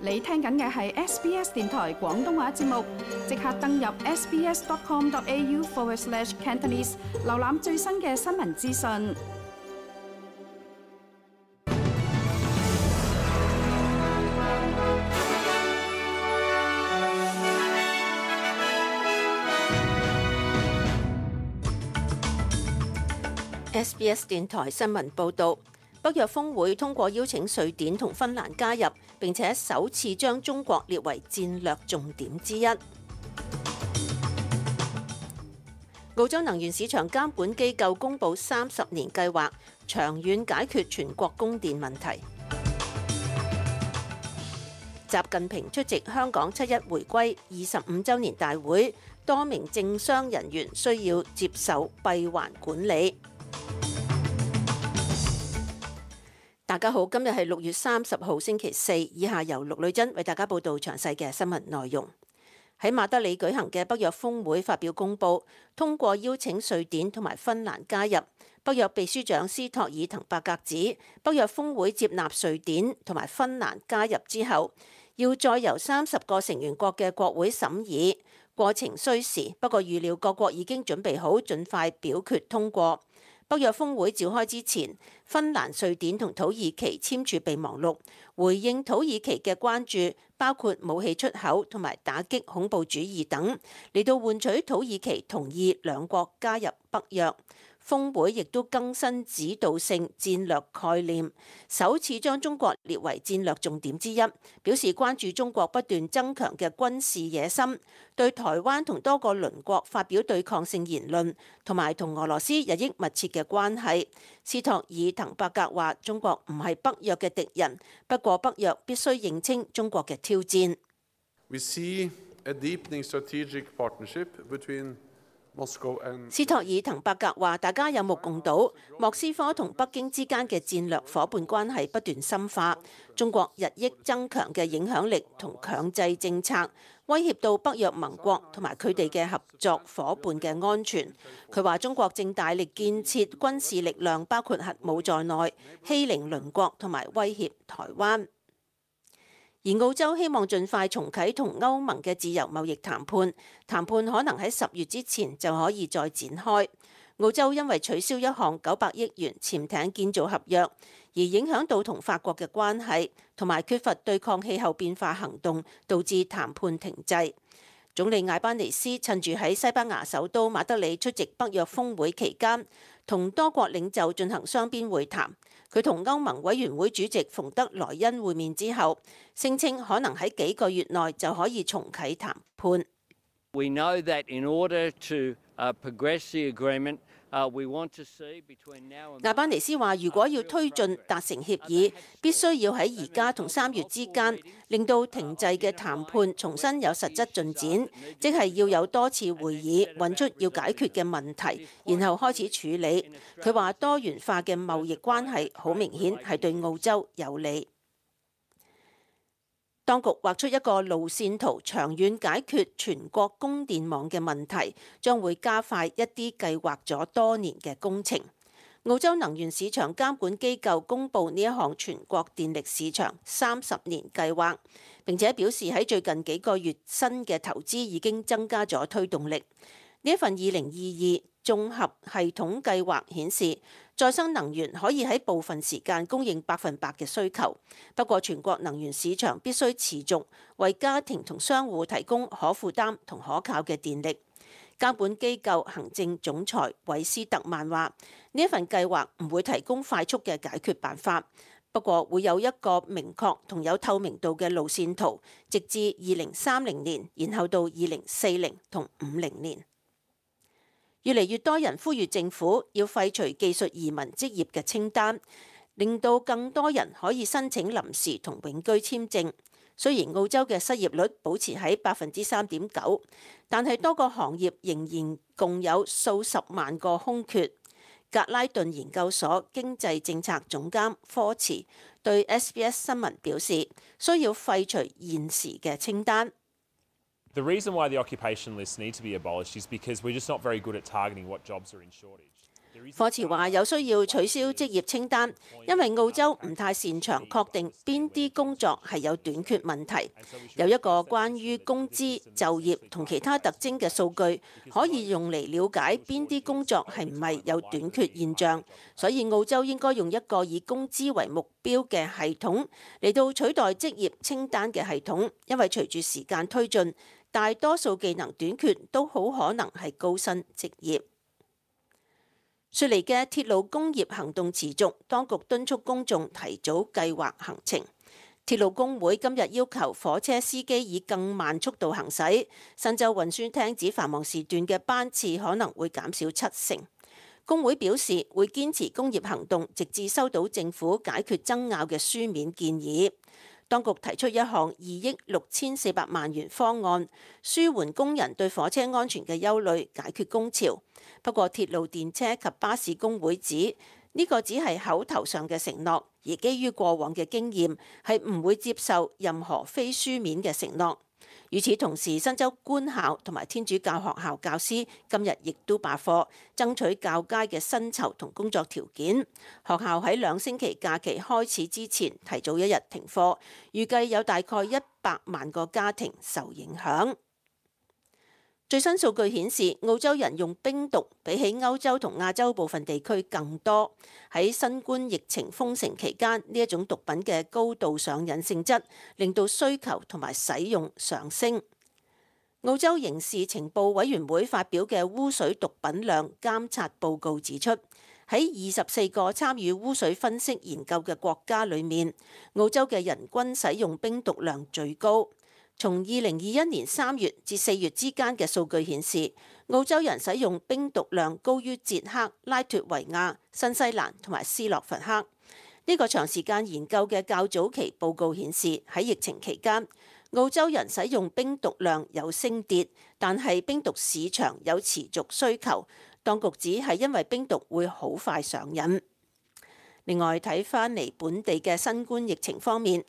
你聽緊嘅係 SBS 電台廣東話節目，即刻登入 sbs.com.au/Cantonese 瀏覽最新嘅新聞資訊。SBS 電台新聞報導，北約峰會通過邀請瑞典同芬蘭加入，並且首次將中國列為戰略重點之一。澳洲能源市場監管機構公佈30年計劃，長遠解決全國供電問題。習近平出席香港7·1回歸25週年大會，多名政商人員需要接受閉環管理。大家好，今日係6月30號星期四，以下由陸女珍為大家報道詳細嘅新聞內容。喺馬德里舉行嘅北約峰會發表公報，通過邀請瑞典同埋芬蘭加入。北約秘書長斯托爾滕伯格指，北約峰會接納瑞典同埋芬蘭加入之後，要再由30個成員國嘅國會審議，過程需時，不過預料各國已經準備好盡快表決通過。北約峰會召開之前，芬蘭、瑞典同土耳其簽署備忘錄，回應土耳其嘅關注，包括武器出口同埋打擊恐怖主義等，嚟到換取土耳其同意兩國加入北約。峰會亦都更新指導性戰略概念，首次將中國列為戰略重點之一，表示關注中國不斷增強嘅軍事野心，對台灣同多個鄰國發表對抗性言論，同埋同俄羅斯日益密切嘅關係。斯托爾滕伯格話：中國唔係北約嘅敵人，不過北約必須認清中國嘅挑戰。We see a deepening strategic partnership between斯托爾滕伯格話：大家有目共睹，莫斯科同北京之間嘅戰略夥伴關係不斷深化，中國日益增強嘅影響力同強制政策，威脅到北約盟國同埋佢哋嘅合作夥伴嘅安全。佢話中國正大力建設軍事力量，包括核武在內，欺凌鄰國同埋威脅台灣。而澳洲希望盡快重啟同歐盟嘅自由貿易談判，談判可能喺10月之前就可以再展開。澳洲因為取消一項900億元潛艇建造合約，而影響到同法國嘅關係，同埋缺乏對抗氣候變化行動，導致談判停滯。總理艾班尼斯趁住喺西班牙首都馬德里出席北約峰會期間，同多國領袖進行雙邊會談。佢同歐盟委員會主席馮德萊恩會面之後，聲稱可能喺幾個月內就可以重啟談判。We know that in order to progress the agreement, we want to see between now and 艾班尼斯話：如果要推進達成協議，必須要喺而家同3月之間，令到停滯嘅談判重新有實質進展，即係要有多次會議，揾出要解決嘅問題，然後開始處理。佢話多元化嘅貿易關係好明顯係對澳洲有利。當局畫出一個路線圖，長遠解決全國供電網嘅問題，將會加快一啲計劃咗多年嘅工程。澳洲能源市場監管機構公佈呢一項全國電力市場30年計劃，並且表示喺最近幾個月新嘅投資已經增加咗推動力。呢一份2022綜合系統計劃顯示，再生能源可以喺部分時間供應100%嘅需求，不過全國能源市場必須持續為家庭同商戶提供可負擔同可靠嘅電力。監管機構行政總裁韋斯特曼話：呢一份計劃唔會提供快速嘅解決辦法，不過會有一個明確同有透明度嘅路線圖，直至2030年，然後到2040同50年。越嚟越多人呼籲政府要廢除技術移民職業嘅清單，令到更多人可以申請臨時同永居簽證。雖然澳洲嘅失業率保持喺3.9%，但係多個行業仍然共有數十萬個空缺。格拉頓研究所經濟政策總監科茨對 SBS 新聞表示，需要廢除現時嘅清單。The reason why the occupation lists need to be abolished is because we're just not very good at targeting what jobs are in shortage. 科茨話有需要取消職業清單，因為澳洲唔太擅長確定邊啲工作係有短缺問題。有一個關於工資、就業同其他特徵嘅數據，可以用嚟了解邊啲工作係唔係有短缺現象。所以澳洲應該用一個以工資為目標嘅系統嚟到取代職業清單嘅系統，因為隨住時間推進，大多數技能短缺都好可能係高薪職業。雪梨嘅鐵路工業行動持續，當局敦促公眾提早計劃行程。鐵路工會今日要求火車司機以更慢速度行駛，新州運輸廳指繁忙時段嘅班次可能會減少7成。工會表示會堅持工業行動，直至收到政府解決爭拗嘅書面建議。當局提出一項2億6400萬元方案，舒緩工人對火車安全嘅憂慮，解決工潮。不過，鐵路電車及巴士工會指呢個只係口頭上嘅承諾，而基於過往嘅經驗，係唔會接受任何非書面嘅承諾。與此同時，新州官校同埋天主教學校教師今日亦都罷課，爭取較佳嘅薪酬同工作條件。學校喺2星期假期開始之前提早1日停課，預計有大概100萬個家庭受影響。最新數據顯示，澳洲人用冰毒比起歐洲同亞洲部分地區更多。喺新冠疫情封城期間，呢一種毒品嘅高度上癮性質，令到需求同埋使用上升。澳洲刑事情報委員會發表嘅污水毒品量監察報告指出，喺24個參與污水分析研究嘅國家裏面，澳洲嘅人均使用冰毒量最高。從2021年3月至4月之間嘅數據顯示，澳洲人使用冰毒量高於捷克、拉脫維亞、新西蘭同埋斯洛伐克。呢個長時間研究嘅較早期報告顯示，喺疫情期間，澳洲人使用冰毒量有升跌，但係冰毒市場有持續需求。當局指係因為冰毒會好快上癮。另外睇返嚟本地嘅新冠疫情方面，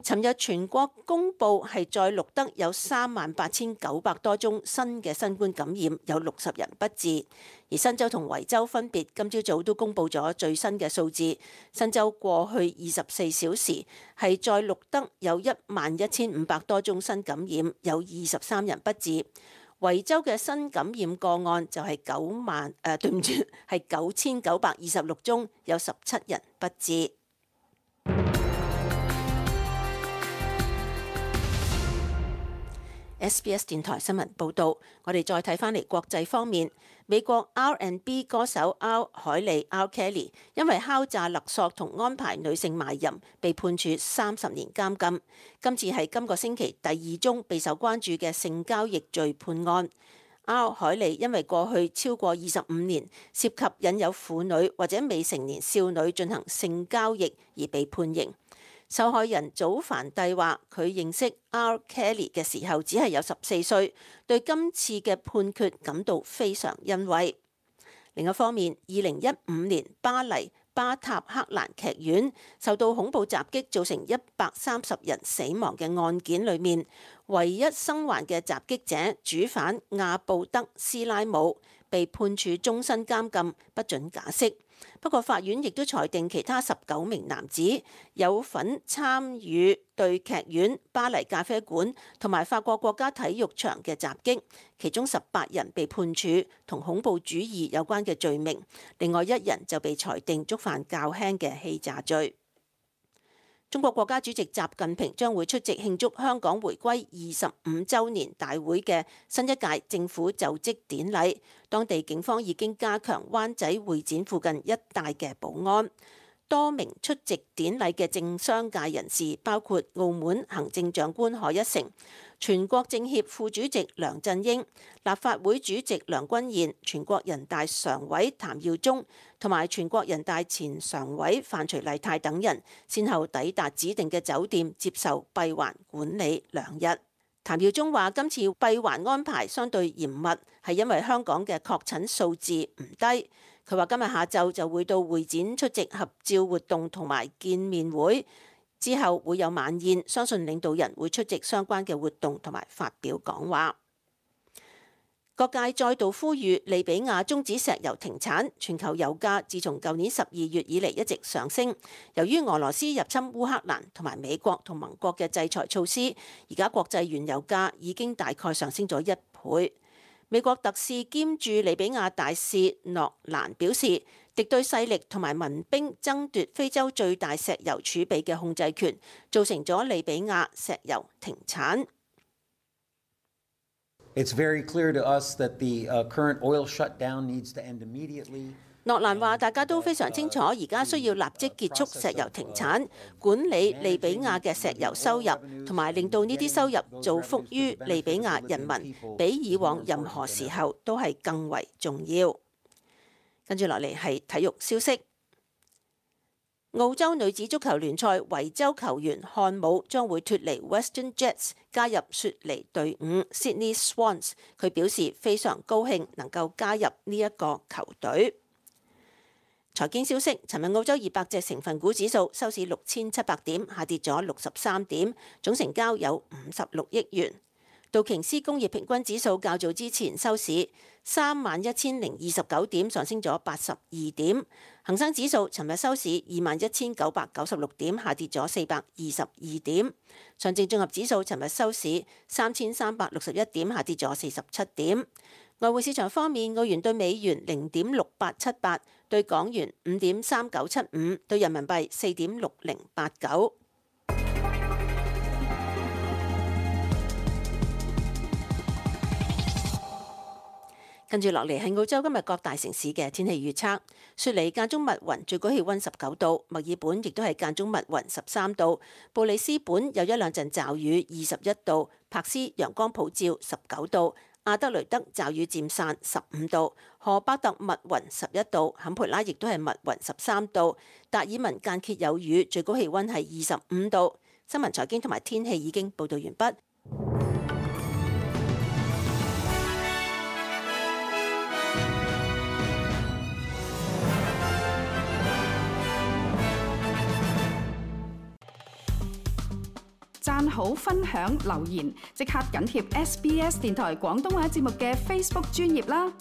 尋日全國公佈係再錄得有38900多宗新嘅新冠感染，有60人不治。而新州同維州分別今朝早都公佈咗最新嘅數字。新州過去24小時係再錄得有11500多宗新感染，有23人不治。維州嘅新感染個案就係9926宗，有17人不治。SBS 電台新聞報導，我哋再睇返嚟國際方面，美國 R&B 歌手 R. 凱莉 R. Kelly 因為敲詐勒索同安排女性賣淫，被判處30年監禁。今次係今個星期第2宗備受關注嘅性交易罪判案。R. 凱莉因為過去超過25年涉及引誘婦女或者未成年少女進行性交易而被判刑。受害人祖凡蒂話：佢認識 R. Kelly 嘅時候只係有14歲，對今次嘅判決感到非常欣慰。另一方面，2015年巴黎巴塔克蘭劇院受到恐怖襲擊，造成130人死亡嘅案件裏面，唯一生還嘅襲擊者主犯亞布德斯拉姆被判處終身監禁，不准假釋。不過法院亦都裁定其他19名男子有份參與對劇院、巴黎咖啡館同埋法國國家體育場嘅襲擊，其中18人被判處同恐怖主義有關嘅罪名，另外1人就被裁定觸犯較輕嘅欺詐罪。中國國家主席習近平將會出席慶祝香港回歸25週年大會嘅新一屆政府就職典禮，當地警方已經加強灣仔會展附近一帶嘅保安。多名出席典禮嘅政商界人士，包括澳門行政長官賀一誠、全國政協副主席梁振英、立法會主席梁君彥、全國人大常委譚耀宗同埋全國人大前常委范徐麗泰等人，先後抵達指定嘅酒店接受閉環管理2日。譚耀宗話：今次閉環安排相對嚴密，係因為香港嘅確診數字唔低。佢話今日下晝就會到會展出席合照活動同埋見面會，之後會有晚宴，相信領導人會出席相關嘅活動同埋發表講話。各界再度呼籲利比亞終止石油停產。全球油價自從舊年12月以嚟一直上升，由於俄羅斯入侵烏克蘭同埋美國同盟國嘅制裁措施，而家國際原油價已經大概上升咗1倍。美國特使兼駐利比亞大使諾蘭表示，敵對勢力同埋民兵爭奪非洲最大石油儲備嘅控制權，造成咗利比亞石油停產。It's very clear to us that the current oil shutdown needs to end immediately. 諾蘭話：大家都非常清楚，而家需要立即結束石油停產，管理利比亞嘅石油收入，同埋令到呢啲收入造福於利比亞人民，比以往任何時候都係更為重要。跟住落嚟係體育消息。澳洲女子足球聯賽維州球員漢姆將會脫離 Western Jets， 加入雪梨隊伍 Sydney Swans。佢表示非常高興能夠加入呢一個球隊。財經消息，尋日澳洲200隻成分股指數收市6700點，下跌咗63點，總成交有56億元。道瓊斯工業平均指數較早之前收市31029點，上升咗82點。恒生指數尋日收市21996點，下跌咗422點。上證綜合指數尋日收市3361點，下跌咗47點。外匯市場方面，澳元對美元0.6878，對港元5.3975，對人民幣4.6089。跟住落嚟係澳洲今日各大城市嘅天氣預測。雪梨間中密雲，最高氣溫19度；墨爾本亦都係間中密雲13度；布里斯本有一兩陣驟雨21度；柏斯陽光普照19度；阿德雷德驟雨漸散15度；荷巴特密雲11度；坎培拉亦都係密雲13度；達爾文間歇有雨，最高氣溫係25度。新聞財經同埋天氣已經報導完畢。讚好、分享、留言，即刻緊貼SBS 電台廣東話節目嘅 Facebook 專頁啦！